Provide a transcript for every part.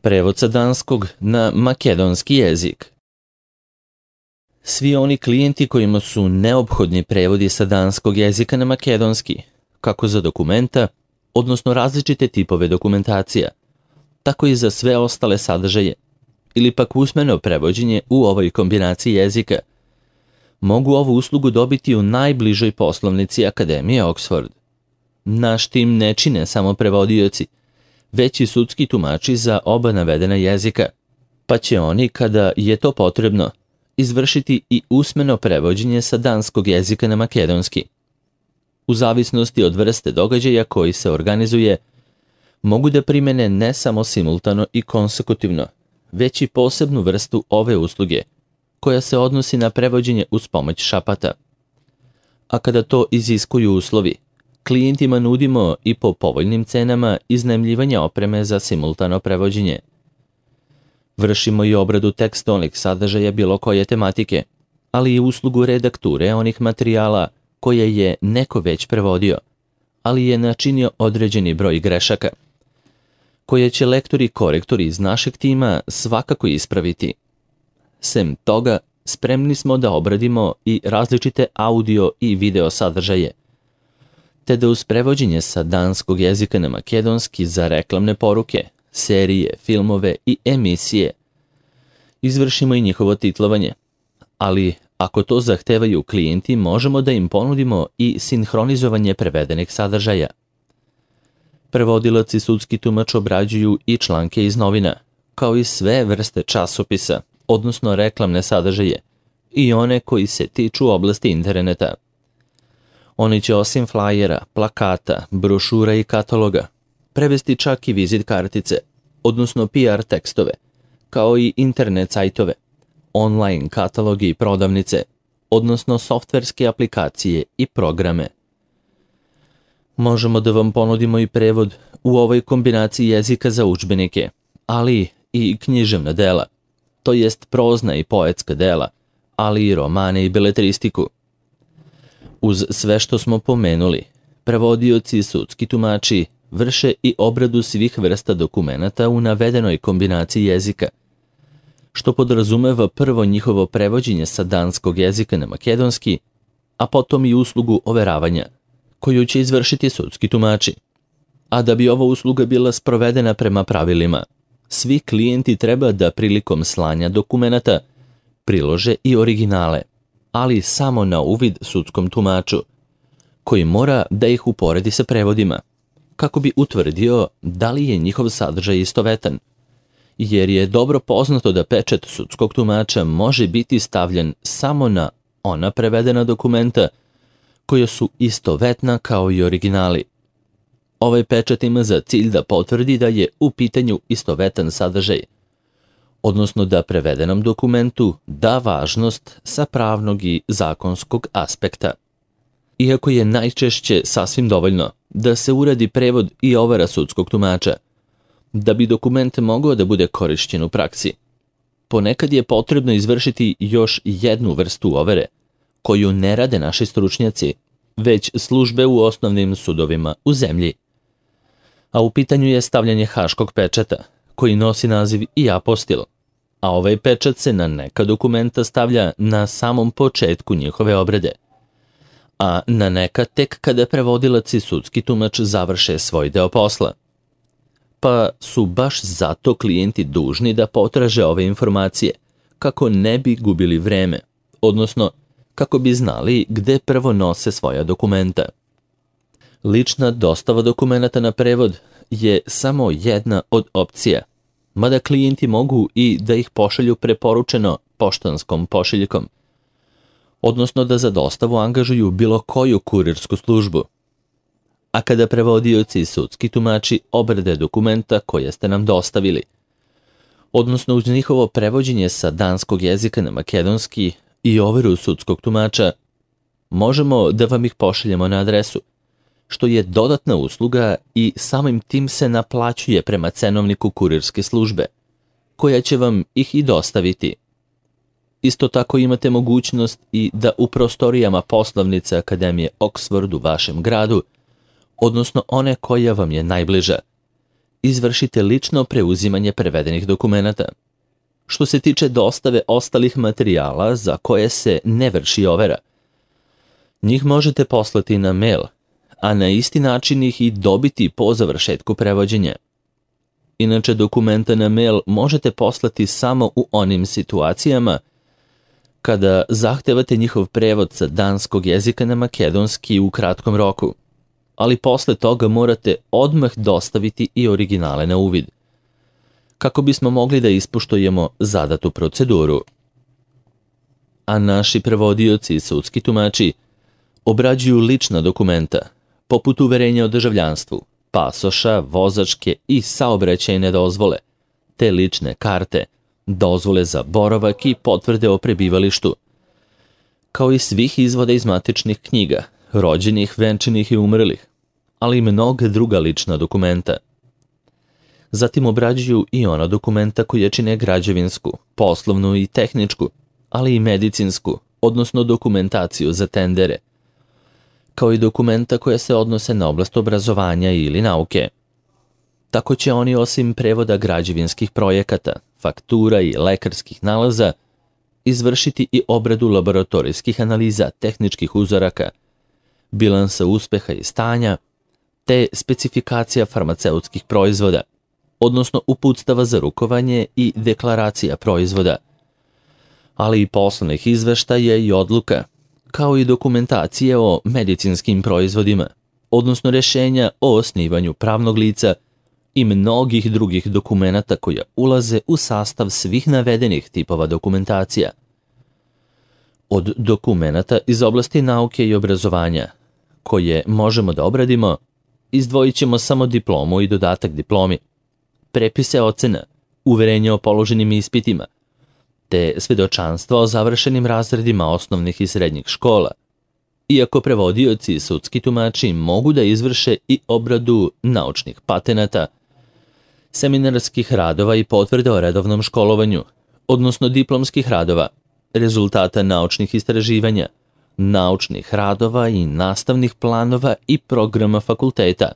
Prevod sa danskog na makedonski jezik. Svi oni klijenti kojima su neophodni prevodi sa danskog jezika na makedonski, kako za dokumenta, odnosno različite tipove dokumentacija, tako i za sve ostale sadržaje, ili pak usmeno prevođenje u ovoj kombinaciji jezika, mogu ovu uslugu dobiti u najbližoj poslovnici Akademije Oxford. Naš tim ne čine samo prevodioci, već i sudski tumači za oba navedena jezika, pa će oni, kada je to potrebno, izvršiti i usmeno prevođenje sa danskog jezika na makedonski. U zavisnosti od vrste događaja koji se organizuje, mogu da primene ne samo simultano i konsekutivno, već i posebnu vrstu ove usluge, koja se odnosi na prevođenje uz pomoć šapata. A kada to iziskuju uslovi, klijentima nudimo i po povoljnim cenama iznajmljivanje opreme za simultano prevođenje. Vršimo i obradu tekstualnih sadržaja bilo koje tematike, ali i uslugu redakture onih materijala koje je neko već prevodio, ali je načinio određeni broj grešaka, koje će lektori i korektori iz našeg tima svakako ispraviti. Sem toga, spremni smo da obradimo i različite audio i video sadržaje, te da uz prevođenje sa danskog jezika na makedonski za reklamne poruke, serije, filmove i emisije izvršimo i njihovo titlovanje, ali ako to zahtevaju klijenti, možemo da im ponudimo i sinhronizovanje prevedenih sadržaja. Prevodilac i sudski tumač obrađuju i članke iz novina, kao i sve vrste časopisa, odnosno reklamne sadržaje, i one koji se tiču oblasti interneta. Oni će osim flajera, plakata, brošura i kataloga prevesti čak i vizit kartice, odnosno PR tekstove, kao i internet sajtove, online katalogi i prodavnice, odnosno softverske aplikacije i programe. Možemo da vam ponudimo i prevod u ovoj kombinaciji jezika za udžbenike, ali i književna dela, to jest prozna i poetska dela, ali i romane i beletristiku. Uz sve što smo pomenuli, prevodioci i sudski tumači vrše i obradu svih vrsta dokumenata u navedenoj kombinaciji jezika, što podrazumeva prvo njihovo prevođenje sa danskog jezika na makedonski, a potom i uslugu overavanja, koju će izvršiti sudski tumači. A da bi ova usluga bila sprovedena prema pravilima, svi klijenti treba da prilikom slanja dokumenata prilože i originale, ali samo na uvid sudskom tumaču, koji mora da ih uporedi sa prevodima, kako bi utvrdio da li je njihov sadržaj istovetan, jer je dobro poznato da pečat sudskog tumača može biti stavljen samo na ona prevedena dokumenta koja su istovetna kao i originali. Ovaj pečat ima za cilj da potvrdi da je u pitanju istovetan sadržaj, odnosno da prevedenom dokumentu da važnost sa pravnog i zakonskog aspekta. Iako je najčešće sasvim dovoljno da se uradi prevod i overa sudskog tumača, da bi dokument mogao da bude korišćen u praksi, ponekad je potrebno izvršiti još jednu vrstu overe, koju ne rade naši stručnjaci, već službe u osnovnim sudovima u zemlji. A u pitanju je stavljanje haškog pečata, koji nosi naziv i apostil, a ovaj pečat se na neka dokumenta stavlja na samom početku njihove obrade, a na neka tek kada prevodilac i sudski tumač završe svoj deo posla. Pa su baš zato klijenti dužni da potraže ove informacije, kako ne bi gubili vreme, odnosno kako bi znali gde prvo nose svoja dokumenta. Lična dostava dokumenata na prevod je samo jedna od opcija, mada klijenti mogu i da ih pošalju preporučeno poštanskom pošiljkom, odnosno da za dostavu angažuju bilo koju kurirsku službu. A kada prevodioci i sudski tumači obrade dokumenta koje ste nam dostavili, odnosno uz njihovo prevođenje sa danskog jezika na makedonski i overu sudskog tumača, možemo da vam ih pošaljemo na adresu, što je dodatna usluga i samim tim se naplaćuje prema cenovniku kurirske službe, koja će vam ih i dostaviti. Isto tako imate mogućnost i da u prostorijama poslovnice Akademije Oxford u vašem gradu, odnosno one koja vam je najbliža, izvršite lično preuzimanje prevedenih dokumenata. Što se tiče dostave ostalih materijala za koje se ne vrši overa, njih možete poslati na mail, a na isti način ih i dobiti po završetku prevođenja. Inače, dokumenta na mail možete poslati samo u onim situacijama kada zahtevate njihov prevod sa danskog jezika na makedonski u kratkom roku, ali posle toga morate odmah dostaviti i originale na uvid, kako bismo mogli da ispoštujemo zadatu proceduru. A naši prevodioci i sudski tumači obrađuju lična dokumenta, poput uverenja o državljanstvu, pasoša, vozačke i saobraćajne dozvole, te lične karte, dozvole za boravak i potvrde o prebivalištu, kao i svih izvoda iz matičnih knjiga, rođenih, venčanih i umrlih, ali i mnoga druga lična dokumenta. Zatim obrađuju i ona dokumenta koje čine građevinsku, poslovnu i tehničku, ali i medicinsku, odnosno dokumentaciju za tendere, kao i dokumenta koja se odnose na oblast obrazovanja ili nauke. Tako će oni osim prevoda građevinskih projekata, faktura i lekarskih nalaza izvršiti i obradu laboratorijskih analiza tehničkih uzoraka, bilansa uspeha i stanja, te specifikacija farmaceutskih proizvoda, odnosno uputstava za rukovanje i deklaracija proizvoda, ali i poslovnih izveštaja i odluka, kao i dokumentacije o medicinskim proizvodima, odnosno rješenja o osnivanju pravnog lica i mnogih drugih dokumenata koja ulaze u sastav svih navedenih tipova dokumentacija. Od dokumenata iz oblasti nauke i obrazovanja, koje možemo da obradimo, izdvojit ćemo samo diplomu i dodatak diplomi, prepise ocena, uverenje o položenim ispitima, te svedočanstva o završenim razredima osnovnih i srednjih škola, iako prevodioci i sudski tumači mogu da izvrše i obradu naučnih patenata, seminarskih radova i potvrde o redovnom školovanju, odnosno diplomskih radova, rezultata naučnih istraživanja, naučnih radova i nastavnih planova i programa fakulteta,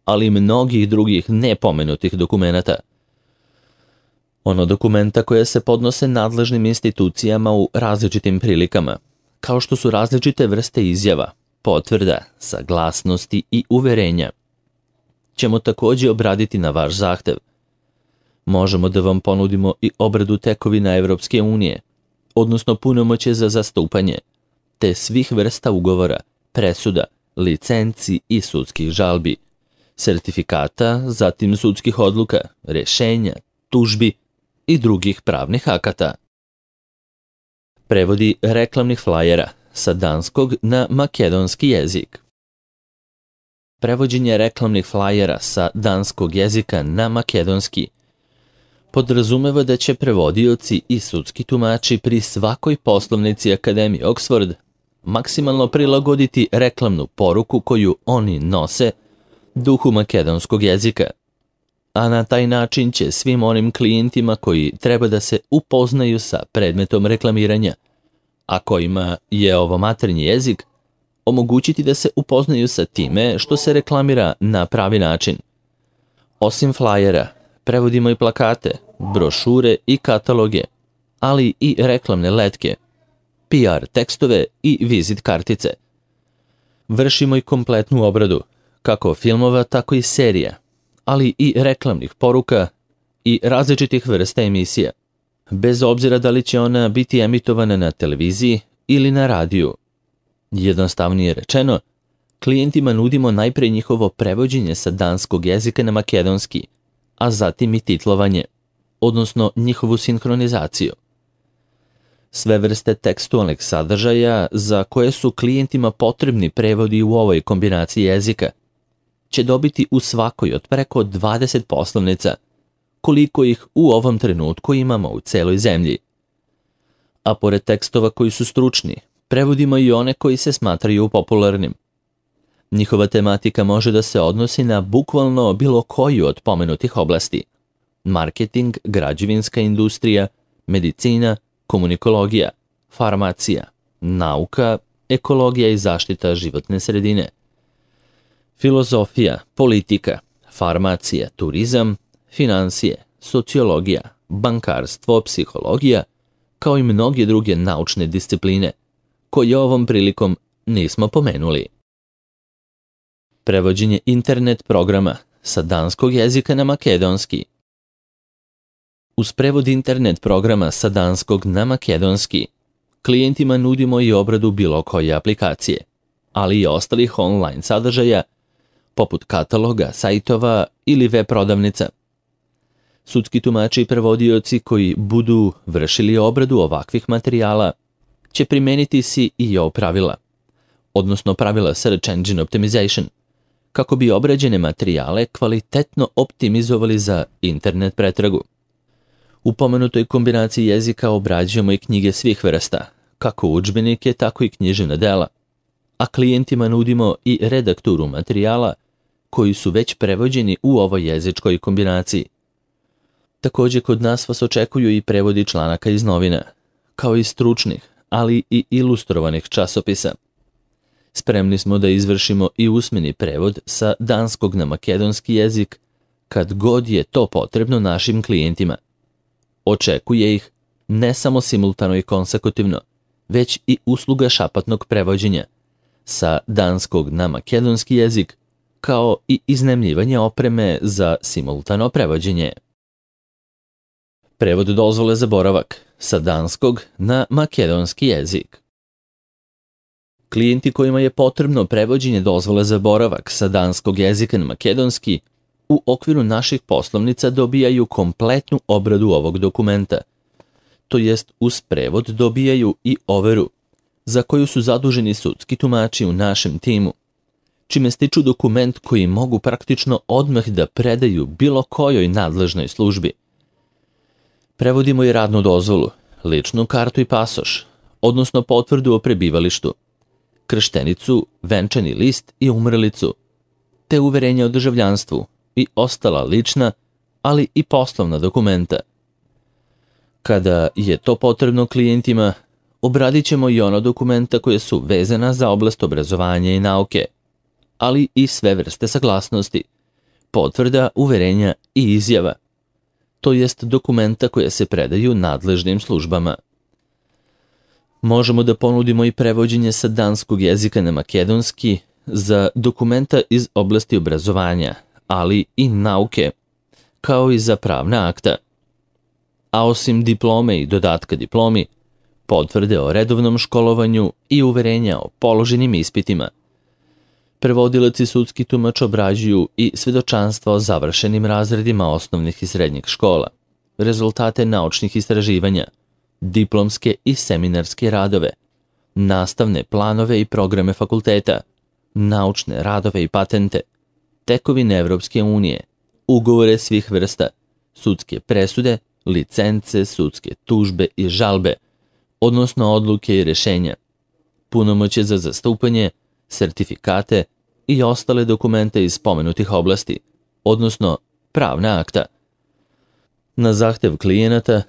ali i mnogih drugih nepomenutih dokumenata. Ono dokumenta koje se podnose nadležnim institucijama u različitim prilikama, kao što su različite vrste izjava, potvrda, saglasnosti i uverenja, ćemo također obraditi na vaš zahtev. Možemo da vam ponudimo i obradu tekovina Evropske unije, odnosno punomoćje za zastupanje, te svih vrsta ugovora, presuda, licenci i sudskih žalbi, sertifikata, zatim sudskih odluka, rješenja, tužbi i drugih pravnih akata. Prevodi reklamnih flajera sa danskog na makedonski jezik. Prevođenje reklamnih flajera sa danskog jezika na makedonski podrazumeva da će prevodioci i sudski tumači pri svakoj poslovnici Akademije Oxford maksimalno prilagoditi reklamnu poruku koju oni nose duhu makedonskog jezika, a na taj način će svim onim klijentima koji treba da se upoznaju sa predmetom reklamiranja, a kojima je ovo maternji jezik, omogućiti da se upoznaju sa time što se reklamira na pravi način. Osim flajera, prevodimo i plakate, brošure i kataloge, ali i reklamne letke, PR tekstove i vizit kartice. Vršimo i kompletnu obradu, kako filmova, tako i serija, ali i reklamnih poruka i različitih vrsta emisija, bez obzira da li će ona biti emitovana na televiziji ili na radiju. Jednostavnije rečeno, klijentima nudimo najpre njihovo prevođenje sa danskog jezika na makedonski, a zatim i titlovanje, odnosno njihovu sinhronizaciju. Sve vrste tekstualnih sadržaja za koje su klijentima potrebni prevodi u ovoj kombinaciji jezika će dobiti u svakoj od preko 20 poslovnica, koliko ih u ovom trenutku imamo u celoj zemlji. A pored tekstova koji su stručni, prevodimo i one koji se smatraju popularnim. Njihova tematika može da se odnosi na bukvalno bilo koju od pomenutih oblasti: marketing, građevinska industrija, medicina, komunikologija, farmacija, nauka, ekologija i zaštita životne sredine, filozofija, politika, farmacija, turizam, finansije, sociologija, bankarstvo, psihologija, kao i mnoge druge naučne discipline, koje ovom prilikom nismo pomenuli. Prevođenje internet programa sa danskog jezika na makedonski. Uz prevod internet programa sa danskog na makedonski, klijentima nudimo i obradu bilo koje aplikacije, ali i ostalih online sadržaja, poput kataloga, sajtova ili web prodavnica. Sudski tumači i prevodioci koji budu vršili obradu ovakvih materijala će primeniti SEO pravila, odnosno pravila Search Engine Optimization, kako bi obrađene materijale kvalitetno optimizovali za internet pretragu. U pomenutoj kombinaciji jezika obrađujemo i knjige svih vrsta, kako udžbenike, tako i književna dela, a klijentima nudimo i redakturu materijala koji su već prevođeni u ovoj jezičkoj kombinaciji. Također kod nas vas očekuju i prevodi članaka iz novina, kao i stručnih, ali i ilustrovanih časopisa. Spremni smo da izvršimo i usmeni prevod sa danskog na makedonski jezik kad god je to potrebno našim klijentima. Očekuje ih ne samo simultano i konsekutivno, već i usluga šapatnog prevođenja sa danskog na makedonski jezik, kao i iznajmljivanje opreme za simultano prevođenje. Prevod dozvole za boravak sa danskog na makedonski jezik. Klijenti kojima je potrebno prevođenje dozvole za boravak sa danskog jezika na makedonski u okviru naših poslovnica dobijaju kompletnu obradu ovog dokumenta, to jest uz prevod dobijaju i overu, za koju su zaduženi sudski tumači u našem timu, čime stiču dokument koji mogu praktično odmah da predaju bilo kojoj nadležnoj službi. Prevodimo i radnu dozvolu, ličnu kartu i pasoš, odnosno potvrdu o prebivalištu, krštenicu, venčani list i umrlicu, te uverenje o državljanstvu i ostala lična, ali i poslovna dokumenta. Kada je to potrebno klijentima, obradit ćemo i ona dokumenta koje su vezana za oblast obrazovanja i nauke, ali i sve vrste saglasnosti, potvrda, uverenja i izjava, to jest dokumenta koje se predaju nadležnim službama. Možemo da ponudimo i prevođenje sa danskog jezika na makedonski za dokumenta iz oblasti obrazovanja, ali i nauke, kao i za pravna akta. A osim diplome i dodatka diplomi, potvrde o redovnom školovanju i uverenja o položenim ispitima. Prevodilac i sudski tumač obrađuju i svedočanstva o završenim razredima osnovnih i srednjih škola, rezultate naučnih istraživanja, diplomske i seminarske radove, nastavne planove i programe fakulteta, naučne radove i patente, tekovine Evropske unije, ugovore svih vrsta, sudske presude, licence, sudske tužbe i žalbe, odnosno odluke i rešenja, punomoćje za zastupanje, sertifikate i ostale dokumente iz spomenutih oblasti, odnosno pravna akta. Na zahtev klijenata,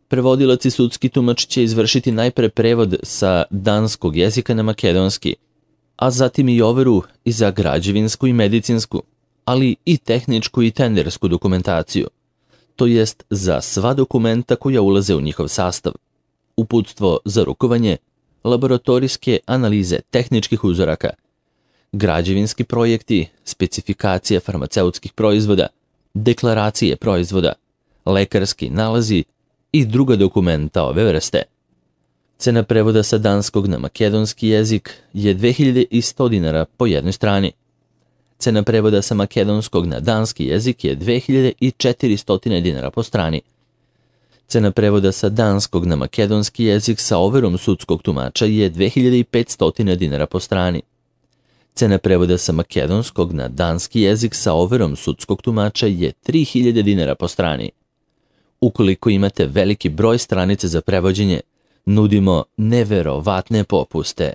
prevodilac i sudski tumač će izvršiti najpre prevod sa danskog jezika na makedonski, a zatim i overu i za građevinsku i medicinsku, ali i tehničku i tendersku dokumentaciju, to jest za sva dokumenta koja ulaze u njihov sastav, uputstvo za rukovanje, laboratorijske analize tehničkih uzoraka, građevinski projekti, specifikacije farmaceutskih proizvoda, deklaracije proizvoda, lekarski nalazi i druga dokumenta ove vrste. Cena prevoda sa danskog na makedonski jezik je 2100 dinara po jednoj strani. Cena prevoda sa makedonskog na danski jezik je 2400 dinara po strani. Cena prevoda sa danskog na makedonski jezik sa overom sudskog tumača je 2500 dinara po strani. Cena prevoda sa makedonskog na danski jezik sa overom sudskog tumača je 3000 dinara po strani. Ukoliko imate veliki broj stranica za prevođenje, nudimo neverovatne popuste.